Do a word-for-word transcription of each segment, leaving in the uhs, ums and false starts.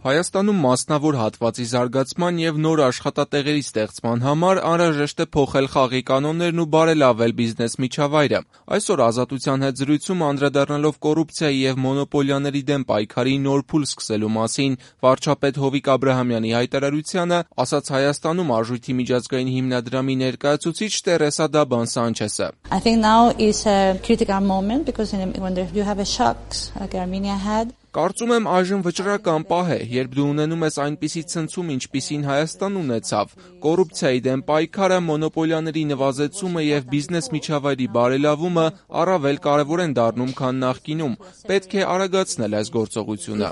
Հայաստանում մասնավոր հատվածի զարգացման և նոր աշխատատեղերի ստեղծման համար անհրաժեշտ է փոխել խաղի կանոններն ու բարելավել բիզնես միջավայրը։ Այսօր Ազատության հետ զրույցում անդրադառնալով կոռուպցիայի և մոնոպոլիաների դեմ պայքարի նոր փուլ սկսելու մասին վարչապետ Հովիկ Աբրահամյանի հայտարարությանը, ասաց Հայաստանում Արժույթի միջազգային հիմնադրամի ներկայացուցիչ Տերեսա Դաբան Սանչեսը։ I think now is a critical moment because when there, you have a shock like Armenia had. Կարծում եմ այժմ վճռական պահ է, երբ դու ունենում ես այնպիսի ցնցում, ինչպիսին Հայաստան ունեցավ։ Կոռուպցիայի դեմ պայքարը, մոնոպոլիաների նվազեցումը և բիզնես միջավայրի բարելավումը առավել կարևոր են դառնում, քան նախկինում։ Պետք է արագացնել այս գործողությունը։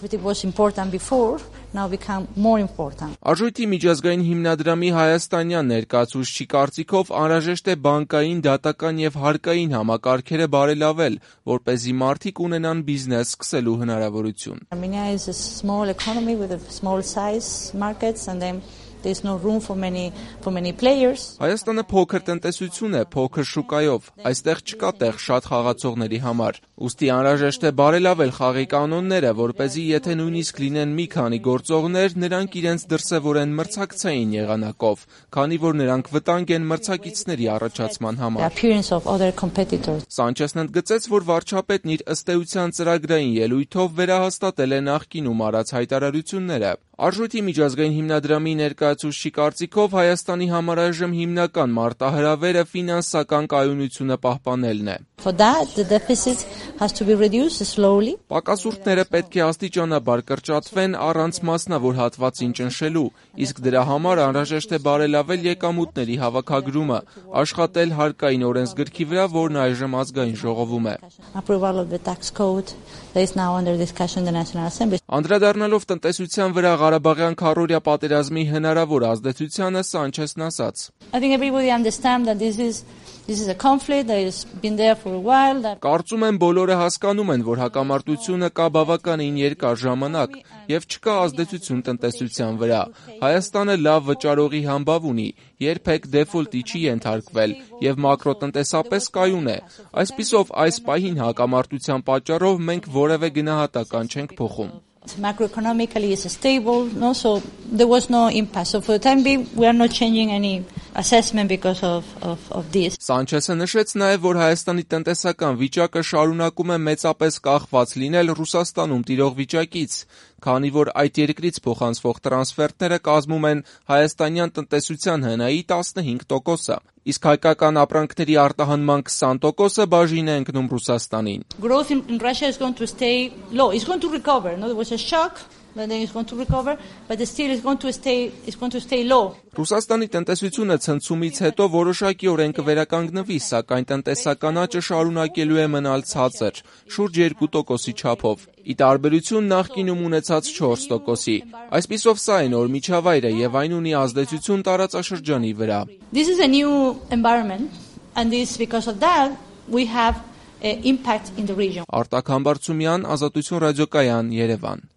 Արժույթի միջազգային հիմնադրամի հայաստանյան ներկայացուցչի կարծիքով անհրաժեշտ է բանկային, դատական և հարկային համակարգերը բարելավել, որպեսզի մարդիկ ունենան բիզնես սկսելու հնարավորություն։ Armenia is a small economy with a small size markets and then there's no room for many for many players. Հայաստանը փոքր տնտեսություն է, փոքր շուկայով։ Այստեղ չկա տեղ շատ խաղացողների համար։ Ուստի անհրաժեշտ է բարելավել խաղի կանոնները, որպեսզի եթե նույնիսկ լինեն մի քանի գործողներ, նրանք իրենց դրսևորեն մրցակցային եղանակով, քանի որ նրանք վտանգ են մրցակիցների առաջացման համար։ Սանչեսն ընդգծեց, որ վարչապետն իր ըստ էության ծրագրային ելույթով վերահաստատել է նախկինում արած հայտարարությունները։ Արժույթի միջազգային հիմնադրամի ներկայացուցչի կարծիքով Հայաստանի համար այժմ հիմնական մարտահրավերը ֆինանսական կայունությունը պահպանելն է։ For that, the deficit has to be reduced slowly. Պակասուրդները պետք է աստիճանաբար կրճատվեն առանց մասնավոր հատվածին ճնշելու, իսկ դրա համար անհրաժեշտ է բարելավել եկամուտների հավաքագրումը, աշխատել հարկային օրենսգրքի վրա, որն այժմ ազգային ժողովում է։ Approval of the tax code that is now under discussion in the National Assembly. Անդրադառնալով տնտեսության վրա Ղարաբաղյան քառօրյա պատերազմի հնարավոր ազդեցությանը, Սանչեսն ասաց. I think everybody understands that this is This is a conflict that has been there for a while. That... Կարծում եմ բոլորը հասկանում են, որ հակամարտությունը կա բավականին երկար ժամանակ և չկա ազդեցություն տնտեսության վրա։ Հայաստանը լավ վճարողի համբավ ունի, երբեք դեֆոլտի չի ենթարկվել և մակրոտնտեսապես կայուն է։ Այսպիսով այս պահին հակամարտության պատճառով մենք որևէ գնահատական չենք փոխում։ Macroeconomically is stable, no, so there was no impact. So for the time being, we are not changing any assessment because of, of, of this. Սանչեսը նշեց նաև, որ Հայաստանի տնտեսական վիճակը շարունակում է մեծապես կախված լինել Ռուսաստանում տիրող վիճակից, քանի որ այդ երկրից փոխանցվող տրանսֆերտները կազմում են հայաստանյան տնտեսության հնայի տասնհինգ տոկոսը, իսկ հայկական ապրանքների արտահանման քսան տոկոսը բաժին է ընկնում Ռուսաստանին։ Growth in, in Russia is going to stay low. It's going to recover. No, there was a shock. But then it's going to recover, but still it's going to stay it's going to stay low. Ռուսաստանի տնտեսությունը ցնցումից հետո որոշակիորեն կվերականգնվի, սակայն տնտեսական աճը շարունակելու է մնալ ցածր, շուրջ երկու տոկոսի չափով, ի տարբերություն նախկինում ունեցած չորս տոկոսի։ Այսպիսով սա է նոր միջավայրը եւ այն ունի ազդեցություն տարածաշրջանի վրա։ This is a new environment and this because of that we have an impact in the region. Արտակ Համբարձումյան, Ազատություն ռադիոկայան, Երևան։